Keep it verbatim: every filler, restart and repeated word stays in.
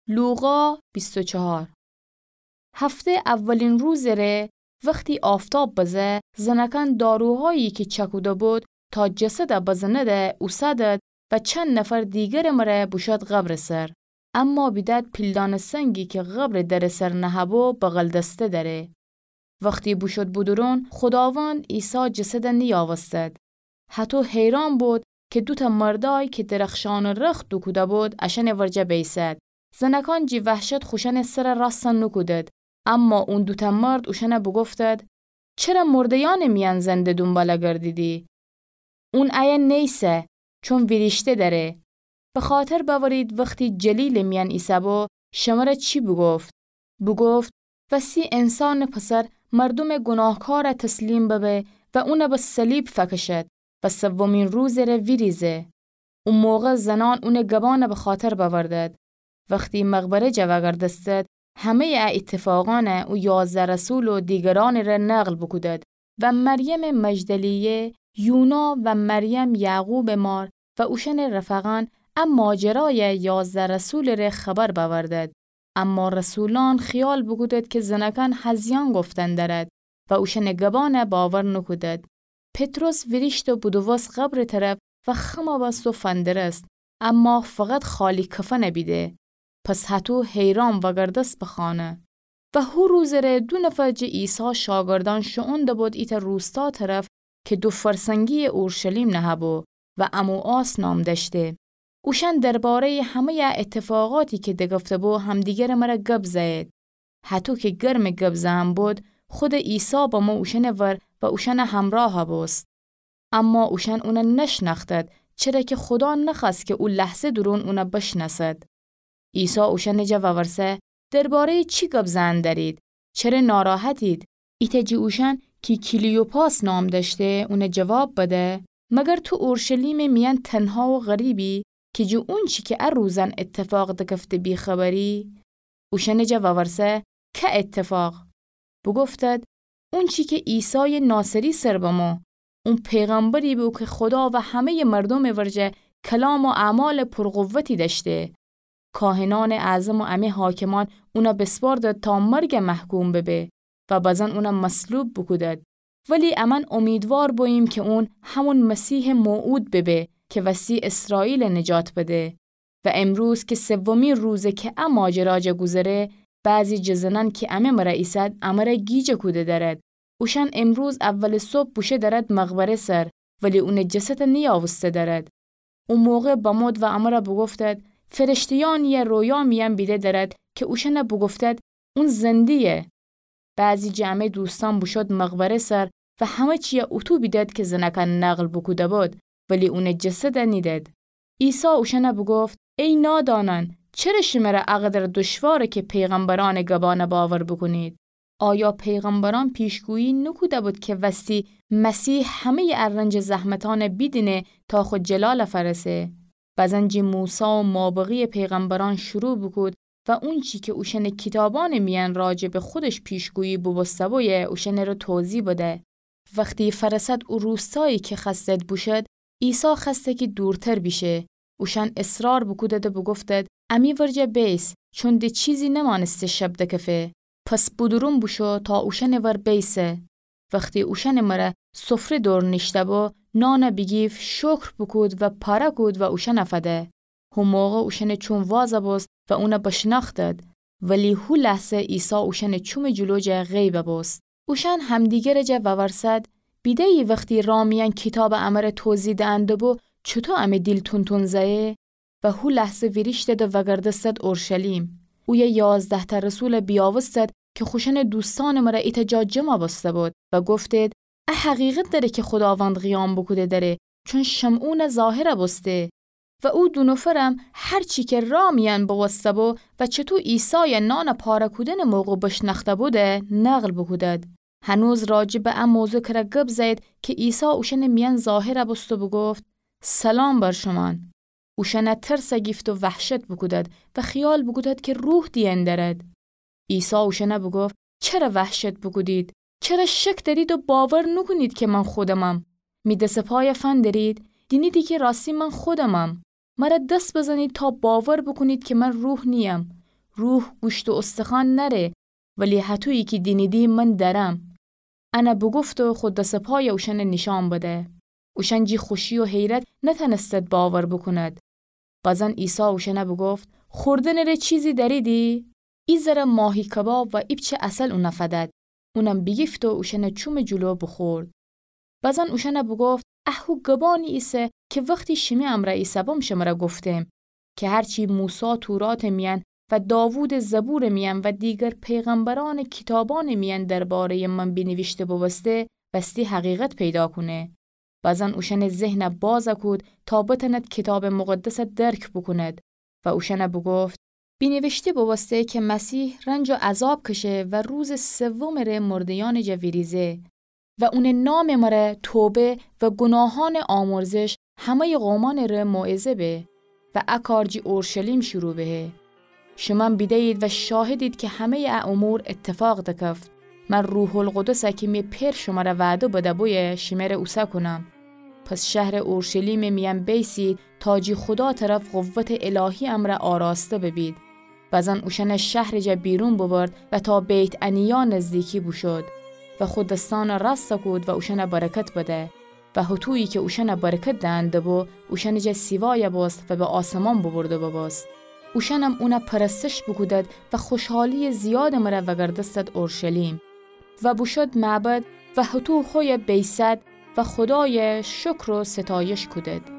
لوقا بیست و چهار. هفته اولین روزٚ ره وختی آفتاب بزه، زنکان داروهایی کی چکوده بود تا جسد بزنده اوسدد و چند نفر دیگرٚ مره بوشود قبرٚ سر. اما بیدد پیلدانٚ سنگی کی قبرٚ درٚ سر نهه‌بو بغل‌دسته دره. وختی بوشود بودورون، خوداوند عیسی جسد نیاوستد. هطو حیران بود کی دوتأ مردای کی درخشانٚ رخت دوکوده بود، اشأنٚ ورجه بیسد. زنکان جی وحشت خوشأنٚ سر راست نوکودد. اما اون دوتأ مرد اوشأن بوگفتد: چره مرده‌یأنٚ میأن زنده دونبال گردیدی؟ اون ایه نیسه، چون ویریشته دره. بخاطر بأورید وختی جلیلٚ میأن ایسه‌بو، شمر چی بوگفت؟ بوگفت: وسی انسانٚ پسر مردومٚ گوناهکار تسلیم ببه و اون به صلیب فکشد و سومین روزٚ ره ویریزه. او موقع زنان اونٚ گبان بخاطر بأوردد. وختی مقبره جا وأگردستد، همه‌یٚ ا ایتفاقأن او یازده رسول و دیگرأنٚ ره نقل بوکودد و مریمٚ مجدلیه، یونا و مریم یعقوبٚ مار و اوشأنٚ رفقأن ا ماجرایٚ یازده رسولٚ ره خبر بأوردد. اما رسولأن خیال بوکودد کی زنکان هزیأن گفتن درد و اوشأنٚ گبان باور نوکودد. پطرس ویریشت و بودووست قبرٚ طرف و خم بست و فندرست، اما فقط خالی کفن بیده. پس هطو حیران وأگردست به خانه. و هو روزٚ ره دو نفر جٚه عیسی شاگردأن شوئون دبود ایتأ روستا طرف کی دو فرسنگیٚ اورشلیم نهه‌بو و عموعاص نام دأشته. اوشأن درباره‌یٚ همه‌یٚ ا ایتفاقاتی کی دگفته‌بو همدیگرٚ مره گب زأیید. هطو کی گرمٚ گب زئن بود، خودٚ عیسی بمو اوشأنٚ ور و اوشأن همراه بوست. اما اوشأن اون نشنأختد، چره کی خودا نخوأست کی او لحظه دورون اون بشنأسد. عیسی اوشأنٚ جا وورسه: درباره‌یٚ چی گب زئن درید؟ چره ناراحتید؟ ایتأ جٚه اوشأن کی کلیوپاس نام دأشته، اون جواب بده: مگر تو اورشلیمٚ میأن تنها و غریبی کی جٚه اونچی کی ا روزأن ایتفاق دگفته بی‌خبری؟ اوشأنٚ جا وورسه: که ایتفاق؟ بوگفتد: اونچی کی عیسایٚ ناصری سر بمو. اون پیغمبری بو کی خودا و همه‌یٚ مردومٚ ورجه کلام و اعمالٚ پرقوتی دأشته. کاهنأنٚ اعظم و امه حاکمأن اون بسپردد تا مرگ محکوم ببه و بزن اون مصلوب بوکودد. ولی امأن امیدوار بوییم کی اون همون مسیحٚ موعود ببه کی وسی اسرائیل نجات بده. و امروز کی سومی روزه کی ا ماجرا جا گوذره، بعضی جٚه زنأن کی امه مره ایسد، امره گیج کوده درد. اوشأن امروز اولٚ صبح بوشو درد مقبره سر، ولی اونٚ جسد نیاوسته درد. او موقع بمود و امره بوگفتد: فرشته‌یأنی رویا میأن بیده درد کی اوشأن بوگفتد: اون زنده‌یه. بعضی جٚه امه دوستأن بوشود مقبره سر و همه چی اوطو بیدد کی زنأکأن نقل بوکوده بود، ولی اونٚ جسد نیدد. عیسی اوشأن بوگفت: ای نادانأن، چره شمره ا قدر دشواره کی پیغمبرأنٚ گبأن باور بوکونید؟ آیا پیغمبرأن پیشگویی نوکوده بود کی وستی مسیح همه‌یٚ ا رنج زحمتأن بیدینه تا خو جلال فأرسه؟ بزن جٚه موسی و مابقی پیغمبرأن شروع بوکود و اونچی کی اوشأنٚ کیتابأنٚ میأن راجع به خودش پیشگویی بوبوسته بویه، اوشأنٚ ره توضیح بده. وختی فأرسد او روستایی کی خوأستد بوشد، عیسی خوأسته کی دورتر بیشه. اوشأن اصرار بوکودد و بوگفتد: امی ورجه بیس، چون د چیزی نمأنسته شب دکفه. پس بودورون بوشو تا اوشأنٚ ور بیسه. وختی اوشأنٚ مره سفره دور نیشته‌بو، نان بیگیفت، شکر بوکود و پاره کود و اوشأن فده. هو موقع اوشأنٚ چوم واز بوست و اون بشنأختد. ولی هو لحظه عیسی اوشأنٚ چومٚ جلو جا غیب بوست. اوشأن همدیگرٚ جا وورسد: بیده‌یی وختی راه میأن کیتاب امره توضیح دهنده‌بو، چوطو امه دیل تون‌تون زأیه؟ و هو لحظه ویریشتد و وأگردستد اورشلیم. اویه یازده‌تأ رسول بیاوستد کی خوشأنٚ دوستأنٚ مره ایتأ جا جمع بوسته بود و گفتید: ا حقیقت دأره کی خوداوند قیام بوکوده دأره، چون شمعون ظاهر بوسته. و او دو نفرم هر چی کی راه میأن بوسته‌بو و چوطو عیسای نان پاره کودنٚ موقع بشنأخته‌بود نقل بوکودد. هنوز راجع به ا موضوع کره گب زأیید کی عیسی اوشأنٚ میأن ظاهر بوست و بوگفت: سلام بر شومأن. اوشأن ترس گیفت و وحشت بوکودد و خیال بوکودد کی روح دیأن دأرد. عیسی اوشأن بوگفت: چره وحشت بوکودید؟ چره شک دأرید و باور نوکونید کی من خودمم؟ می دس و پای فندرید، دینیدی کی راستی من خودمم. مره دس بزنید تا باور بوکونید کی من روح نییم. روح گوشت و استخوأن نأره، ولی هطویی کی دینیدی من دأرم. انه بوگفته خو دس و پای اوشأنه نیشأن بده. اوشأن جی خوشی و حیرت نتأنستد باور بوکوند. بزن عیسی اوشأنه بوگفت: خوردنٚ ره چیزی دأریدی؟ ایزره ماهی کباب و ایپچه عسل اونه فدد. اونم بیگیفته اوشأنٚ چومٚ جلو بوخورد. بزن اوشأنه بوگفت: اهو گبانی ایسه کی وختی شیمی امرأ ایسهبم شمره گفتم کی هرچی موسی توراتٚ میأن و داوودٚ زبورٚ میأن و دیگر پیغمبرأنٚ کیتابأنٚ میأن درباره‌یٚ من بینیویشته بوبوسته، وستی حقیقت پیدا کونه. بزن اوشأنٚ ذهنه باز کود تا بتأند کیتابٚ مقدسه درک بوکوند و اوشأنه بوگفت: بینیویشته بوبوسته کی مسیح رنج و عذاب کشه و روزٚ سومٚ ره مرده‌یأنٚ جا ویریزه و اونٚ نامٚ مره توبه و گوناهأنٚ آمرزش همه‌یٚ قومأنٚ ره موعظه به و ا کار جی اورشلیم شروع بهه. شومأن بیده‌یید و شاهدید کی همه‌یٚ ا امور اتفاق دکفت. من روح‌القدسه کی می پئر شمره وعده بده‌بویه شمره اوسه کونم. پس شهرٚ اورشلیمٚ میأن بیسید تا جی خدا طرف قوتٚ الهی امرأ آراسته ببید. بزن اوشأنه شهرٚ جا بیرون ببرد و تا بیت‌عنیا نزدیکی بوشود و خو دسأنه رأسته کود و اوشأنه برکت بده. و هطویی کی اوشأنه برکت دئن دبو، اوشأنٚ جا سیوایه بوست و به آسمان ببرده ببوست. اوشأنم اونه پرستش بوکودد و خوشحالییٚ زیادٚ مره وگردستد اورشلیم. و بوشود معبد و هطو هویه بیسد و خودایه شکر و ستایش کودد.